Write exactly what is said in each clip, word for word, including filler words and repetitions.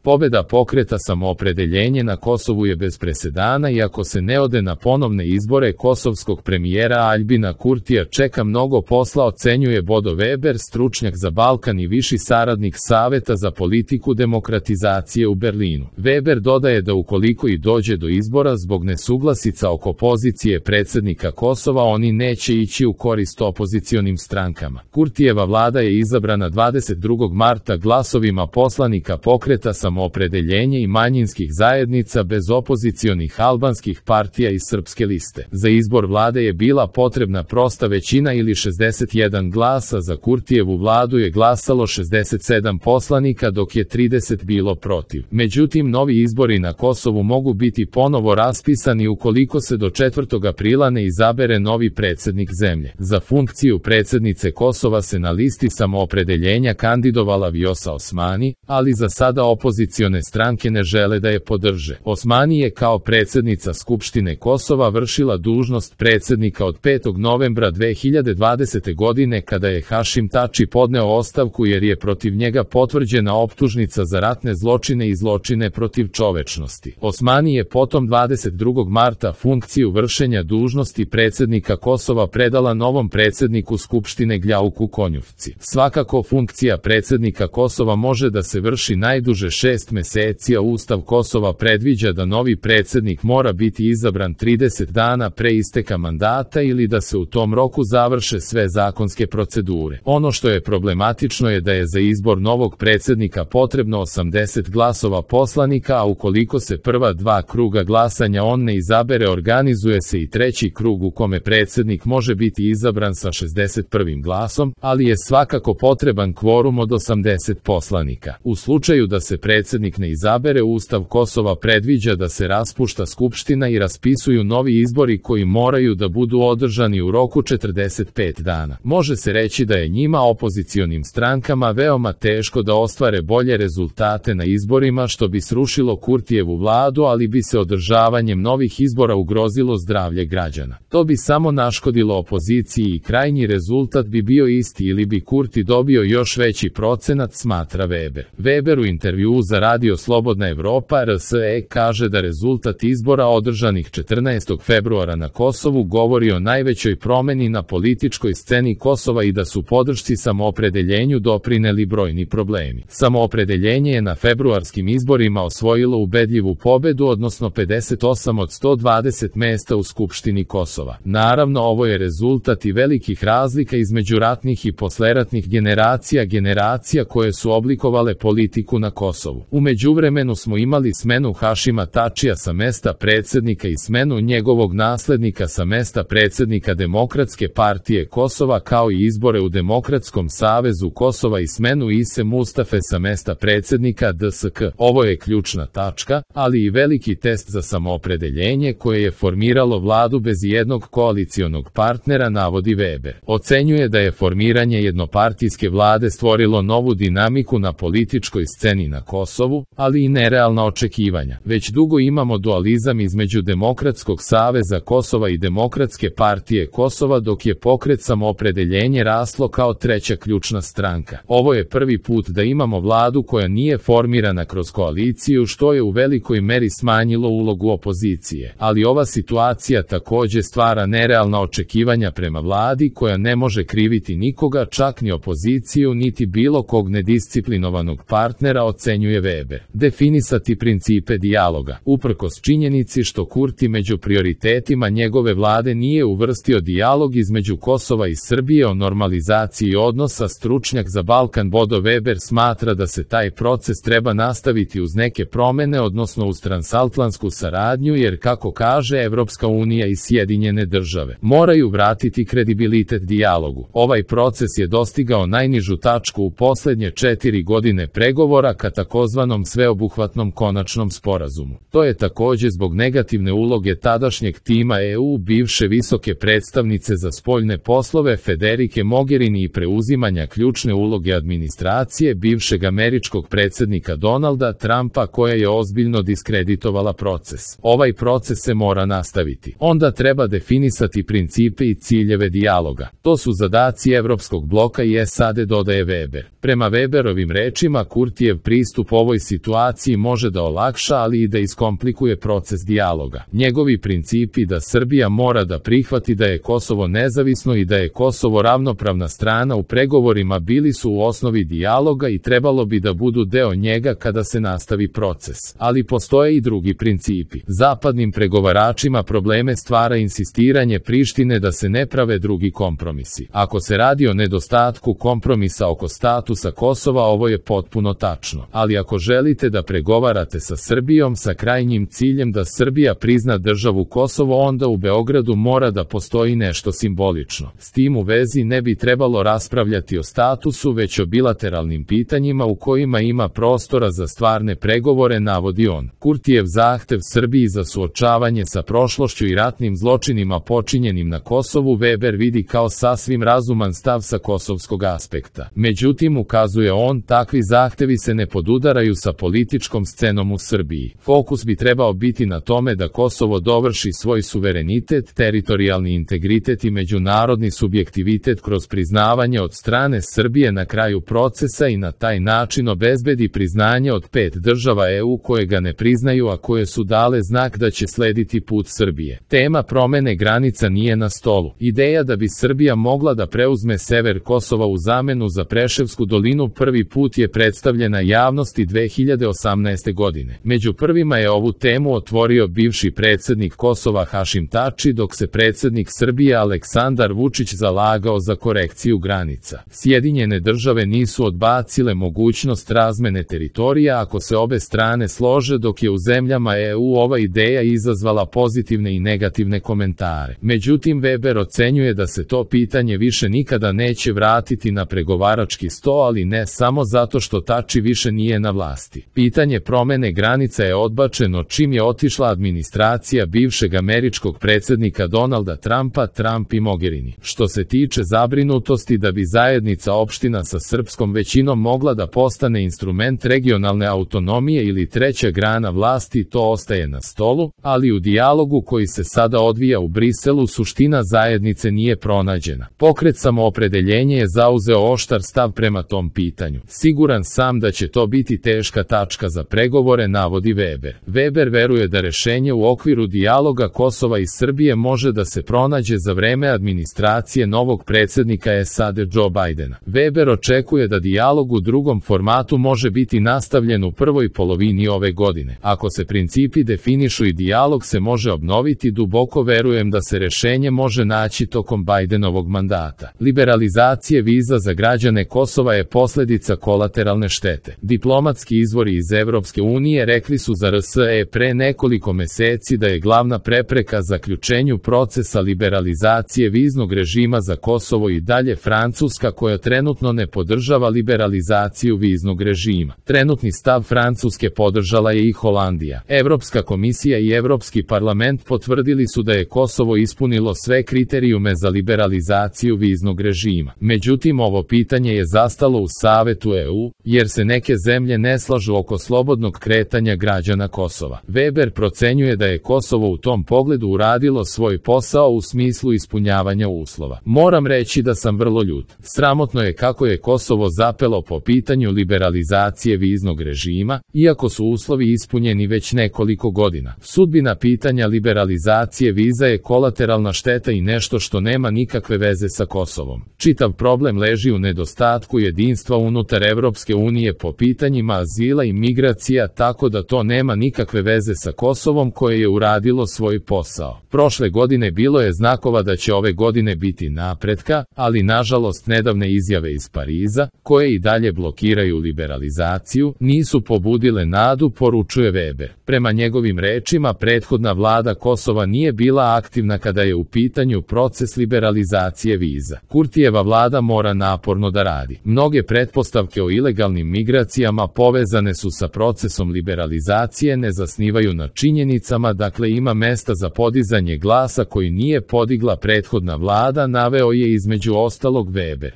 Pobjeda pokreta Samoopredeljenje na Kosovu je bez presedana i ako se ne ode na ponovne izbore kosovskog premijera Aljbina Kurtija čeka mnogo posla, ocenjuje Bodo Weber, stručnjak za Balkan i viši saradnik Saveta za politiku demokratizacije u Berlinu. Weber dodaje da ukoliko i dođe do izbora zbog nesuglasica oko pozicije predsjednika Kosova, oni neće ići u korist opozicionim strankama. Kurtijeva vlada je izabrana dvadeset drugog marta glasovima poslanika pokreta Samoopredeljenje i manjinskih zajednica bez opozicionih albanskih partija i srpske liste. Za izbor vlade je bila potrebna prosta većina ili šezdeset jedan glasa, za Kurtijevu vladu je glasalo šezdeset sedam poslanika dok je trideset bilo protiv. Međutim, novi izbori na Kosovu mogu biti ponovo raspisani ukoliko se do četvrtog aprila ne izabere novi predsjednik zemlje. Za funkciju predsjednice Kosova se na listi Samoopredeljenja kandidovala Vjosa Osmani, ali za sada opozicione stranke ne žele da je podrže. Osmani je kao predsjednica Skupštine Kosova vršila dužnost predsjednika od petog novembra dve hiljade dvadesete. godine kada je Hašim Tači podneo ostavku jer je protiv njega potvrđena optužnica za ratne zločine i zločine protiv čovečnosti. Osmani je potom dvadeset drugog marta funkciju vršenja dužnosti predsjednika Kosova predala novom predsjedniku Skupštine Gljauku Konjufci. Svakako funkcija predsjednika Kosova može da se vrši najduže šest meseci, a Ustav Kosova predviđa da novi predsjednik mora biti izabran trideset dana pre isteka mandata ili da se u tom roku završe sve zakonske procedure. Ono što je problematično je da je za izbor novog predsjednika potrebno osamdeset glasova poslanika, a ukoliko se prva dva kruga glasanja on ne izabere, organizuje se i treći krug u kome predsjednik može biti izabran sa šezdeset prvim glasom, ali je svakako potreban kvorum od osamdeset poslanika. U slučaju da se predsjednik ne izabere, Ustav Kosova predviđa da se raspušta Skupština i raspisuju novi izbori koji moraju da budu održani u roku četrdeset pet dana. Može se reći da je njima, opozicionim strankama, veoma teško da ostvare bolje rezultate na izborima, što bi srušilo Kurtijevu vladu, ali bi se održavanjem novih izbora ugrozilo zdravlje građana. To bi samo naškodilo opoziciji i krajnji rezultat bi bio isti ili bi Kurti dobio još veći procenat, smatra Weber. Weber u intervjuu za radio Slobodna Evropa R S E kaže da rezultat izbora održanih četrnaestog februara na Kosovu govori o najvećoj promeni na političkoj sceni Kosova i da su podršci Samoopredeljenju doprineli brojni problemi. Samoopredeljenje je na februarskim izborima osvojilo ubedljivu pobedu, odnosno pedeset osam od sto dvadeset mesta u Skupštini Kosova. Naravno, ovo je rezultat i velikih razlika između ratnih i posleratnih generacija, generacija koje su oblikovale politiku na Kosovu. U međuvremenu smo imali smenu Hašima Tačija sa mesta predsjednika i smenu njegovog naslednika sa mesta predsjednika Demokratske partije Kosova, kao i izbore u Demokratskom savezu Kosova i smenu Ise Mustafe sa mesta predsjednika D S K. Ovo je ključna tačka, ali i veliki test za Samoopredeljenje koje je formiralo vladu bez jednog koalicionog partnera, navodi Weber. Ocenjuje da je formiranje jednopartijske vlade stvorilo novu dinamiku na političkoj sceni na Kosovu, ali i nerealna očekivanja. Već dugo imamo dualizam između Demokratskog saveza Kosova i Demokratske partije Kosova, dok je pokret Samoopredeljenje raslo kao treća ključna stranka. Ovo je prvi put da imamo vladu koja nije formirana kroz koaliciju, što je u velikoj meri smanjilo ulogu opozicije. Ali ova situacija također stvara nerealna očekivanja prema vladi koja ne može kriviti nikoga, čak ni opoziciju, niti bilo kog nedisciplinovanog partnera, ocenjuje Weber. Definisati principe dijaloga. Uprkos činjenici što Kurti među prioritetima njegove vlade nije uvrstio dijalog između Kosova i Srbije o normalizaciji odnosa, stručnjak za Balkan Bodo Weber smatra da se taj proces treba nastaviti uz neke promjene, odnosno uz transatlantsku saradnju, jer kako kaže Evropska unija i Sjedinjene države moraju vratiti kredibilitet dijalogu. Ovaj proces je dostigao najnižu tačku u posljednje četiri godine pregovora ka takozvanom sveobuhvatnom konačnom sporazumu. To je također zbog negativne uloge tadašnjeg tima E U, bivše visoke predstavnice za spoljne poslove Federike Mogherini i preuzimanja ključne uloge administracije bivšeg američkog predsjednika Donalda Trumpa, koja je ozbiljno diskreditovala proces. Ovaj proces se mora nastaviti. Onda treba definisati principe i ciljeve dijaloga. To su zadaci Evropskog bloka i S A D, dodaje Weber. Prema Weberovim rečima, Kurtijev pristup ovoj situaciji može da olakša, ali i da iskomplikuje proces dijaloga. Njegovi principi da Srbija mora da prihvati da je Kosovo nezavisno i da je Kosovo ravnopravna strana u pregovorima bili su u osnovi dijaloga i trebalo bi da budu deo njega kada se nastavi proces. Ali postoje i drugi principi. Zapadnim pregovaračima probleme stvara insistiranje Prištine da se ne prave drugi kompromisi. Ako se radi o nedostatku kompromisa oko statusa Kosova, ovo je potpuno tačno. Ali ako želite da pregovarate sa Srbijom sa krajnjim ciljem da Srbija prizna državu Kosovo, onda u Beogradu mora da postoji nešto simbolično. S tim u vezi ne bi trebalo raspravljati o statusu, već o bilateralnim pitanjima u kojima ima prostora za stvarne pregovore, navodi on. Kurtijev zahtev Srbiji za suočavanje sa prošlošću i ratnim zločinima počinjenim na Kosovu Weber vidi kao sasvim razuman stav sa kosovskog aspekta. Međutim, ukazuje on, takvi zahtevi se ne podudaraju sa političkom scenom u Srbiji. Fokus bi trebao biti na tome da Kosovo dovrši svoj suverenitet, teritorijalni integritet i međunarodni subjektivitet kroz priznavanje od strane Srbije na kraju procesa i na taj način obezbedi priznanje od pet država E U koje ga ne priznaju, a koje su dale znak da će slediti put Srbije. Tema promene granica nije na stolu. Ideja da bi Srbija mogla da preuzme sever Kosova u zamenu za Preševsku dolinu prvi put je predstavljena javnosti dve hiljade osamnaeste. godine. Među prvima je ovu temu otvorio bivši predsjednik Kosova Hašim Tači, dok se predsjednik Srbije Aleksandar Vučić zalagao za korekciju granica. Sjedinjene države nisu odbacile mogućnost razmene teritorija ako se obe strane slože, dok je u zemljama E U ova ideja izazvala pozitivne i negativne komentare. Međutim, Weber ocenjuje da se to pitanje više nikada neće vratiti na pregovarački sto, ali ne samo zato što Tači više nije na vlasti. Pitanje promene granica je odbačeno čim je otišla administracija bivšeg američkog predsjednika Donalda Trumpa, Trump i Mogherini. Što se tiče zabrinutosti da bi zajednica opština sa srpskom većinom mogla da postane instrument regionalne autonomije ili treća grana vlasti, to ostaje na stolu, ali u dijalogu koji se sada odvija u Briselu suština zajednice nije pronađena. Pokret Samoopredeljenje je zauzeo oštar stav prema tom pitanju. Siguran sam da će to biti teška tačka za pregovore, navodi Weber. Weber veruje da rešenje u okviru dijaloga Kosova i Srbije može da se pronađe za vreme administracije novog predsjednika S A D Joe Bidena. Weber očekuje da dijalog u drugom formatu može biti nastavljen u prvoj polovini ove godine. Ako se principi definišu i dijalog se može obnoviti, duboko verujem da se rešenje može naći tokom Bidenovog mandata. Liberalizacije viza za građane Kosova je posljedica kolateralne štete. Diplomatski izvori iz Evropske unije rekli su za R S E pre nekoliko meseci da je glavna prepreka zaključenju procesa liberalizacije viznog režima za Kosovo i dalje Francuska, koja trenutno ne podržava liberalizaciju viznog režima. Trenutni stav Francuske podržala je i Holandija. Evropska komisija i Evropski parlament potvrdili su da je Kosovo ispunilo sve kriterijume za liberalizaciju viznog režima. Međutim, ovo pitanje je zastalo u Savetu E U, jer se neke zemlje ne slažu oko slobodnog kretanja građana Kosova. Weber procenjuje da je Kosovo u tom pogledu uradilo svoj posao u smislu ispunjavanja uslova. Moram reći da sam vrlo ljut. Sramotno je kako je Kosovo zapelo po pitanju liberalizacije viznog režima, iako su uslovi ispunjeni već nekoliko godina. Sudbina pitanja liberalizacije viza je kolateralna šteta i nešto što nema nikakve veze sa Kosovom. Čitav problem leži u nedostatku jedinstva unutar Evropske unije po pitanjima azila i migracija, tako da to nema nikakve veze sa Kosovom koje je uradilo svoj posao. Prošle godine bilo je znakova da će ove godine biti napretka, ali nažalost nedavne izjave iz Pariza, koje i dalje blokiraju liberalizaciju, nisu pobudile nadu, poručuje Weber. Prema njegovim rečima, prethodna vlada Kosova nije bila aktivna kada je u pitanju proces liberalizacije viza. Kurtijeva vlada mora naporno da radi. Mnoge pretpostavke o ilegalnim migracijama povezane su sa procesom liberalizacije, ne zasnivaju na činjenicama, dakle ima mesta za podizanje glasa koji nije podigla prethodna vlada, naveo je između ostalog Weber.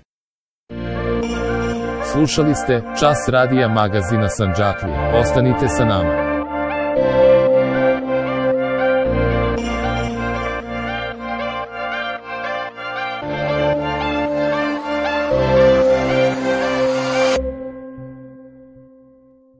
Slušali ste Čas radija magazina Sandžaklija. Ostanite sa nama.